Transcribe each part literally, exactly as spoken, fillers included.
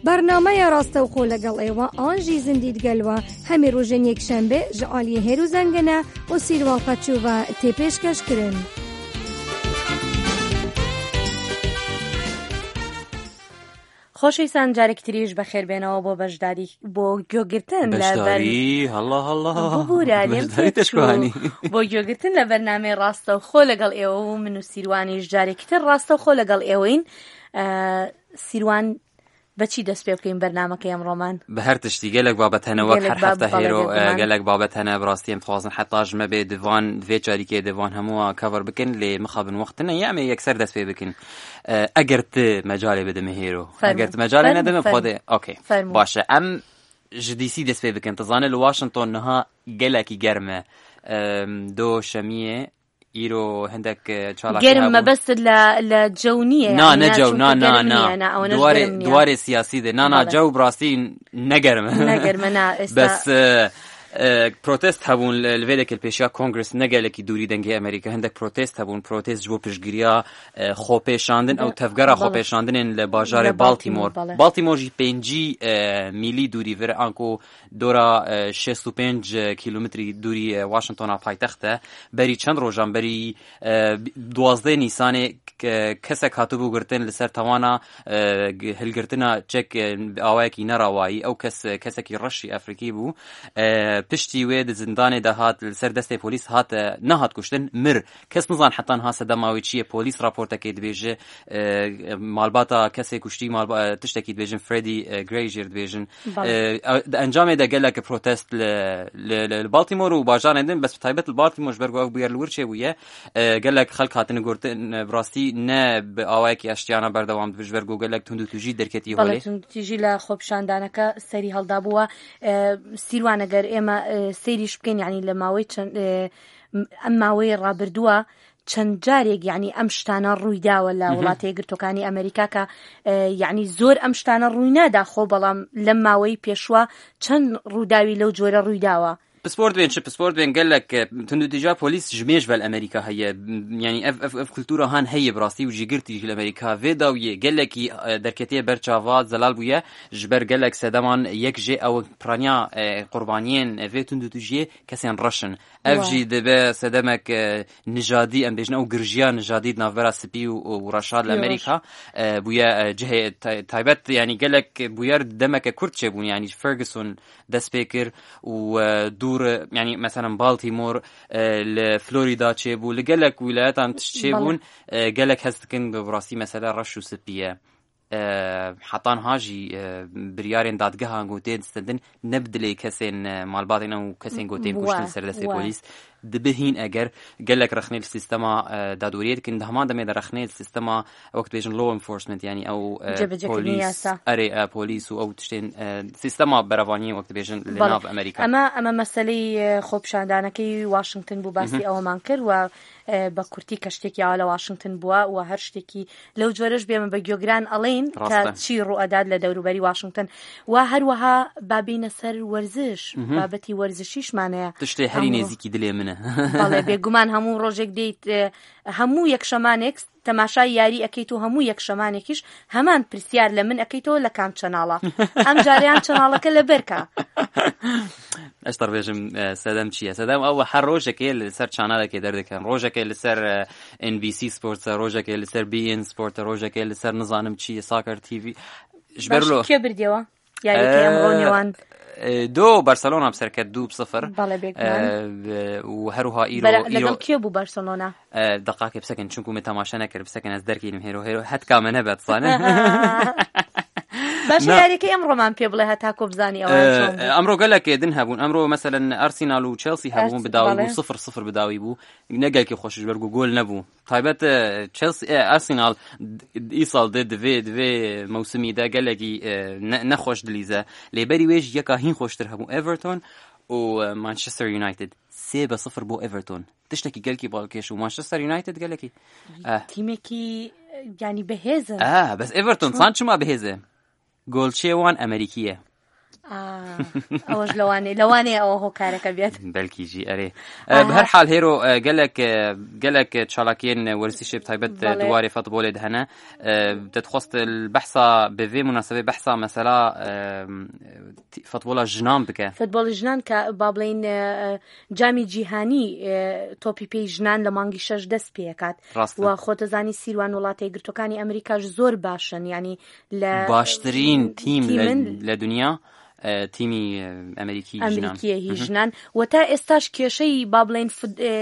Bernameya Rastewxo legal êwa an jî Zindî digel we hemî rojên yekşembe ji aliyê Hêrû Zengine û Sîrwal Qeçû ve tê pêşkeş kirin. خۆشەویستان، جارێکی تریش بەخێر بێنەوە بۆ بەشداری، بۆ گوێگرتن لە بەر- بەشداری، هەڵا، هەڵا. ببوورە، لێم بەشداری تێچوو. تشکوانی. بۆ گوێگرتن لە بەرنامەی ڕاستەوخۆ لەگەڵ ئێوە و من و سیروانیش جارێکی تر ڕاستەوخۆ لەگەڵ ئێوەین. ئە، سیروان، بەچی دەست پێ بکەین بەرنامەکەی ئەمڕۆمان؟ بە هەر تشتی، گەلێک بابەت هەنە وەک گەلێک هەر باب-، هەفتە بەڵێ، هێرۆ، ئە، بێگومان. گەلێک بابەت هەنە، بڕاستی ئەم دخوازن حتا ژمە بێ دڤان، دوێ چاریکێ دڤان هەمووە کەڤەر بکەن، لێ مخابن وەخت نە، یامێ یەکسەر دەست پێ بکەن. ئە، ئەگەر ت مەجالێ بدەمە هێرۆ. فەرموو. ئەگەر ت مەجالێ فەرموو، نەدەمە فەرموو. خۆدێ. ئۆکەی. فەرموو. باشە، ئەم ژ دی سی دەست پێ بکەن. تزانێ لە واشنگتۆن نها گەلێکی گەرمە. ئەم، دۆ شەمیە، ئیرۆ هەندێک، ئە، چالاکی گەرم هەبوو. مەبەست لە، لە جەو نییە، نا، یعنی نە نا، جەو، چونکە نا، نا، گەرم نا. نییە، نا، ئەوەنەش دوارێ، گەرم نییە. دوارێ سیاسی دێ. نا، نا، بەڵێ. جەو بڕاستی نەگەرمە. نەگەرمە، نا، ئێستا بەس، ئە، ئە، پرۆتست هەبوون لە، لە vê dekê li pêşiya کۆنگرس، نە gelekî دووری دەنگی ئەمریکا، هەندێک پرۆتست هەبوون، پرۆتست ji بۆ پشتگiriya، ئە، خۆپێشاندن، ئەو بە-، تەڤگەرە بەڵێ. خۆپێشاندنên li bajarê لە Baltimore. Baltimore، بەڵێ. Baltimore jî pêncî، ئە، میلی دووری vir anku dora، ئە، şêst û pênc kilometrî دووری، ئە، Washingtona paytext e. Berî çend rojan berî، ئە، دوازدە نیسانê ک-، kesek hatibû girtin li ser tawana، ئە، g-، hilgirtina çek، ئە، bi awayekî nerawayî. Ew kes، kesekî reşî Efrîkî bû. ئە، piştî wê di zindanê de hat, li ser destê polîs hat، ئە، nehat kuştin, mir. Kes nizan heta niha sedema wê çi ye. Polîs raportekê dibêje، ئە، malbata kesê kuştî، malba-، ئە، tiştekî dibêjin، Freddie، ئە، Gray jê dibêjin. بەڵێ. ئە، ئە، di encamê de gelek protest li، li، li، li Baltimore û bajarên din، bes bi taybet li Baltimore ji ber ku ev bûyer li wir çêbûye، ئە، gelek xelk hatine گرتن، ئە، bi rastî ne bi awayekî eştiyana berdewam dibe، ji ber ku gelek tundûtûjî derketî بەڵێ، holê. توندوتیژی لە خۆپیشاندانەکە سەری هەڵدابووە. ئە، سیروان، ئەگەر ئێمە، ئە، سەیریش بکەین، یعنی لە ماوەی چەند، ئە، ئەم ماوەی ڕابردووە چەند جارێک، یعنی ئەم شتانە ڕوویداوە لە مهم. وڵاتە یەکگرتوەکانی ئەمریکا کە، ئە، یعنی زۆر ئەم شتانە ڕووی نادا خۆ، بەڵام لەم ماوەی پێشوە چەند ڕووداوی لەو جۆرە ڕوویداوە. Pispor dibên çi? Pispor dibên gelek، ئە، tundûtîja polîs ji mêj ve li Amerîka heye. یعنی ev، ev، ev kultura han heye bi rastî û jî girtî jî li Amerîka. Vê dawiyê gelekî، ئە، derketiye ber çava, zelal bûye. Ji ber gelek sedeman yek jê ew piraniya، ئە، qurbaniyên vê tundûtûjiyê kesên reş in. Ev Wa. jî dibe sedemek، ئە، nijadî، em bêjin ew girjiya nijadî di navbera spî û، û reşa li Pî û reş. Amerîka، ئە، bûye، ئە، cihê tay-، taybet، yanî gelek bûyer demeke kurt çêbûn، yanî Ferguson dest pê kir û، ئە، dûr، yanî meselen Baltimore، ئە، li Florida çêbû، li gelek wîlayetan tişt Bale. çêbûn، ئە، gelek hez dikin bi rastî mesele reş û spî ye. ئە، heta niha jî، ئە، biryarên dadgehan ku tên stendin ne bi dilê kesên، ئە، malbatên ew û kesên ku tên Wa, kuştin li ser destê wa. polîs. Dibe hîn eger gelek rexnê li sîstema، ئە، dadweriyê dikin, di heman demê de rexnê li sîstema wek dibêjin law enforcement, yanî ew، ئە، Cebecekirî polîs، yasa. erê، ئە، polîs û ew tiştên، ئە، sîstema berevaniyê wek dibêjin li Bale. nav Amerîka. ئەمە، ئەمە مەسەلەی، ئە، خۆپیشاندانەکەی واشنگتن بوو، باسی مهم. ئەوەمان کرد و، ئە، بە کورتی کە شتێکی ئاوا لە واشنگتن بووە و هەر شتێکی لەو جۆرەش بێمە بە گوێگران ئەڵێن کە ڕاستە. چی ڕوو ئەدات لە دەوروبەری واشنگتن. و هەروەها با بینە سەر وەرزش، مهم. بابەتی وەرزشیشمانەیە. تشتێ هەری ئەمڕۆ. نێزیکی دلێ منە. بەڵێ، بێگومان هەموو ڕۆژێک دێیت، ئە، هەموو یەک شەمانێک تەماشای یاری ئەکەیت و هەموو یەک شەمانێکیش هەمان پرسیار لە من ئەکەیتەوە لە کام چەناڵە. ئەم جاریان چەناڵەکە لە بەرکە. ئەش تەڕبێژم، ئە، سەدەم چییە؟ سەدەم ئەو هەر ڕۆژێکێ لەسەر چانالێکێ دەردەکەن. ڕۆژێکێ لەسەر، ئە، ئێن بی سی سپۆرتە، ڕۆژێکێ لەسەر بی ئێن سپۆرتە، ڕۆژێکێ لەسەر نزانم چی، ساکەر تی ڤی. Ji ber باش، lo- کێ بردیەوە؟ یاریەکەی ئەمڕۆ ئە، نێوان ئە، دۆ بەرسەلۆنا بسەرکەت دوو بسفر. بەڵێ، بێگومان. ئە، ب-، و هەروها ئیرۆ، بەرە-، ئیرۆ لەگەڵ کێ بوو بەرسەلۆنا؟ ئە، دەقاکێ بسەکن، چونکو من تەماشا نەکرد، بسەکن، ئەز دەرکەینم هێرۆ، هێرۆ، هەتکامە نەبێت، زانە؟ باشە، نا. یاریەکەی ئەمڕۆمان پێ بڵێ، هەتاکۆ بزانی ئەوە ئە، چۆن بوو. ئەمڕۆ گەلەکێ دن هەبوون. ئەمڕۆ مەسەلەن ئارسینال و چێلسی هەبوون، ئەرس-، بداوی بوو، بەڵێ. سفر سفر بداوی بوو. نەگەلکی خۆشش بەرگو گۆل نەبوو. تایبەت، ئە، چێلسی، ئە، ئارسینال د-، ئیساڵ دێ، divê، divê mewsimî de gelekî، ئە، ne-, nexweş dilîze. Lê berî wê jî yeka hîn xweştir hebû. Everton û، ئە، Manchester United. Sê be sifir bo Everton. Tiştekî gelkî balkêş û Manchester United gelekî. ئە. تیمێکی، یانی بەهێزن. ئە، بەس Everton چۆن؟ San çima bihêz e? Golçê wan Amerîkî ye. ئا، ئەوەش لەوانەیە، لەوانەیە ئەوە هۆکارەکە بێت. بەلکی ژی، ئەرێ. ئە، بە هەر حال هێرۆ، ئە، گەلێک، ئە، گەلێک چالاکیین وەرزشی بە تایبەت، ئە، بەڵێ. دوارێ فوتبۆلێ دهەنە. ئە، دەتخواست بەحسا بە vê مناسبەی بەحسا مەسەلا، ئە، تی-، فوتبۆلا ژنان بکە. فوتبۆڵی ژنان کە با بڵێن، ئە، جامی جیهانی، ئە، تۆپی پێی ژنان لە مانگی شەش دەست پێکات. ڕاستە. و خۆتەزانی سیروان وڵاتە یەکگرتوەکانی ئەمریکاش زۆر باشن، یعنی لە باشترین تیم لە، تیمن لە دنیا، ئە، تیمی، ئە، ئەمریکی ژنان. ئەمریکیە هی مهم. ژنان. و تا ئێستاش کێشەی با بڵێن فد-، ئە،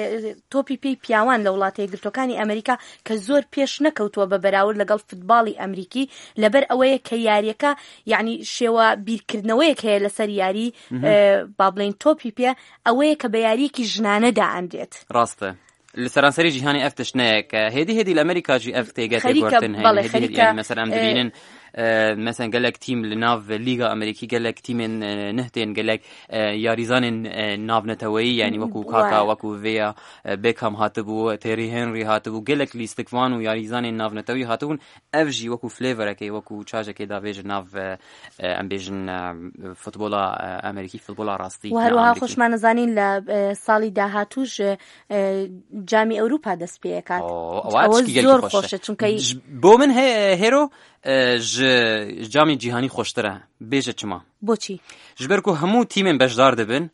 تۆپی پێی پیاوان لە وڵاتە یەکگرتوەکانی ئەمریکا کە زۆر پێش نەکەوتووە بە بەراورد لەگەڵ فوتباڵی ئەمریکی، لەبەر ئەوەیە کە یاریەکە، یعنی شێوە بیرکردنەوەیەک هەیە لەسەر یاری، مهم. ئە، با بڵێن تۆپی پێ، ئەوەیە کە بە یاریەکی ژنانە دائەندرێت. ڕاستە. لە سەرانسەری جیهانی ئەف تشت نەیە کە هێدی هێدی لە ئەمریکا جی ئەف تێگە خەریکە، تێگوارتن هەیە. بەڵێ، هێدی هێدی، خەریکە، یعنی مەسەلەن ئە، ببینن، ئە، مەسەلەن گەلێک تیم لە ناو لیگا ئەمریکی، گەلێک تیمێن، ئە، نهتێن، گەلێک، ئە، یاریزانێن، ئە، ناونەتەوەیی، یعنی وەکو کاکا، وەکو vê ya، ئە، بێکام هاتبوو، تێری هێنری هاتبوو، گەلێک لیستکوان و یاریزانێن ناونەتەوەیی هاتبوون. ئەف ژی وەکو فلێڤەرەکەی، وەکو چاژەکەی داڤێژە ناو، ئە، ئە، ئەم بێژن، ئە، فوتبۆلا، ئە، ئەمریکی، ففوتبۆلا ڕاستی و هەروەها ئەمریکی. خۆشمانەزانین لە، ئە، ساڵی داهاتووش، ئە، جامی ئەوروپا دەست پێکات. ئەوە ئەوە چکی گەلکی زۆر خۆشە. خۆشە، چونکە ژ-، بۆ من هێ-، هێرۆ، ئە، ژ-، جامی جیهانی خۆشترە. بێژە چما؟ بۆچی؟ ژبەر کو هەموو تیمێن بەشدار دەبن،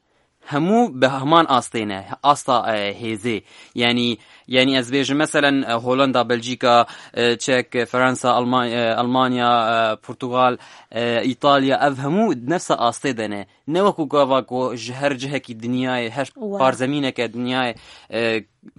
هەموو بە هەمان ئاستێنە، ئاستا، ئە، هێزێ. یعنی، یعنی ئەس بێژم مەسەلەن، ئە، هۆلەندا، بەلجیکا، ئە، چەک، فەرەنسا، ئەڵما-، ئە، ئەڵمانیا، ئە، پورتوگال، ئە، ئیتالیا، ئەڤ هەموو نەفسە ئاستێ دەنێ. نەوەکو گاڤاکۆ ژ-، هەر جهەکی دنیایە، هەر وە. پارزەمینەکە دنیایە، ئە،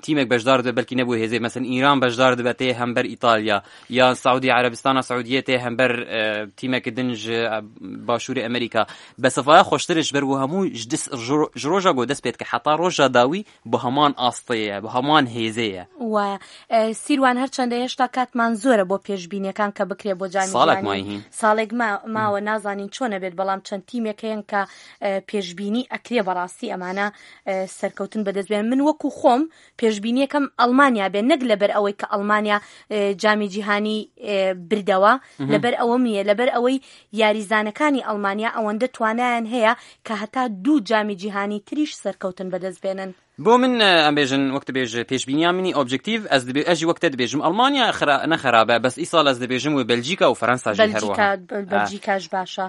تیمێک بەشدار دەبێت، بەلکی نەبوو هێزێ. مەسەلەن ئیران بەشدار دەبێت تێ هەمبەر ئیتالیا، یا سعودی عەرەبستانە سعودیە تێ هەمبەر، ئە، تیمێک دن ژ-، ئە، باشووری ئەمریکا. بە سەفایا خۆشترش بەر بۆ هەموو ژ-، دس-، ژ-، ژ-، ڕۆژا گۆ دەست پێت کە حتا ڕۆژا داوی بۆ هەمان ئاستەیە، بۆ هەمان هێزەیە. وایە. ئە، سیروان هەرچەندە هێشتا کاتمان زۆرە بۆ پێشبینیەکان کە بکرێ بۆ جامی ساڵێک جیهانی. مایهین. ساڵێک ما-، ماوە، نازانین چۆنە بێت، بەڵام چەند تیمێک هەیەن کە، ئە، پێشبینی ئەکرێ بەڕاستی ئەمانە، ئە، سەرکەوتن بەدەست بێن. من وەکو خۆم پێشبینیەکەم ئەڵمانیا بێ، نەک لەبەر ئەوەی کە ئەڵمانیا، ئە، جامی جیهانی، ئە، بردەوە، مهم. لەبەر ئەوە نیە، لەبەر ئەوەی یاریزانەکانی ئەڵمانیا ئەوەندە توانایان هەیە کە هەتا دوو جامی جیهانی تریش سەرکەوتن بەدەست بێنن. بۆ من، ئە، ئەم بێژن وەک دەبێژ پێشبینیا منی ئۆبجکتیڤ، ئەس دەبێ-، ئەژی وەک تە دەبێژم ئەڵمانیا خرا-، نەخرابە، بەس ئیساڵ ئەس دەبێژم وێ بەلجیکا و فەرەنسا ژی هەروەها. بەلجیکا، بە-، بەلجیکاش باشە.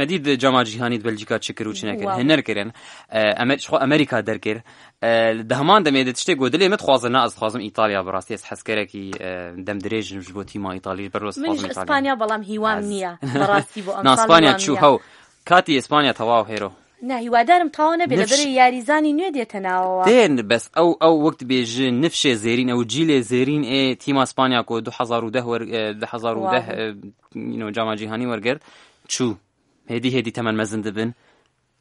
مەدید جاما جیهانی بەلجیکا چ کر و چ نەکرد؟ واو. هەنەر کرن. ئە، ئەمە-، خۆ ئەمریکا دەرکرد. ئە، دە هەمان دەمێ دە تشتێک گۆ دلێ مە دخوازە، نا، ئەس دخوازم ئیتالیا بەڕاستی، ئەس حەز کەرەکی، ئە، دەم درێژم ژ بۆ تیما ئیتالی، بەر وەس منیش دخوازم ئیتالیا. ئیسپانیا، بەڵام هیوام نییە. بەڕاستی بۆ ئەم نا، ساڵ ئیسپانیا هیوام چوو نییە. هەو. کاتی ئیسپانیا تەواو هێرۆ. نا، هیوادارم تاوا نەبێ، نفش- لەبەرەی یاریزانی نوێ دێتە ناوەوە. تێن، بەس ئەو، ئەو وەک دبێژ نفشێ زێرین، ئەو جیلێ زێرین ئێ تیما ئیسپانیا کۆ دوو هەزار و دە وەر-، ئێ، دوو هەزار و دە، واو. ئێ، you know، جاما جیهانی وەرگرت. چوو. هێدی هێدی تەمەن مەزن دبن.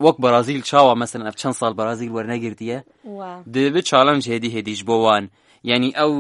وەک بەرازیل چاوە، مەسەلەن، ئەف چەند ساڵ بەرازیل وەرنەگرتیە. واو. دبێ چالنج هێدی هێدیش بۆ وان. یعنی ئەو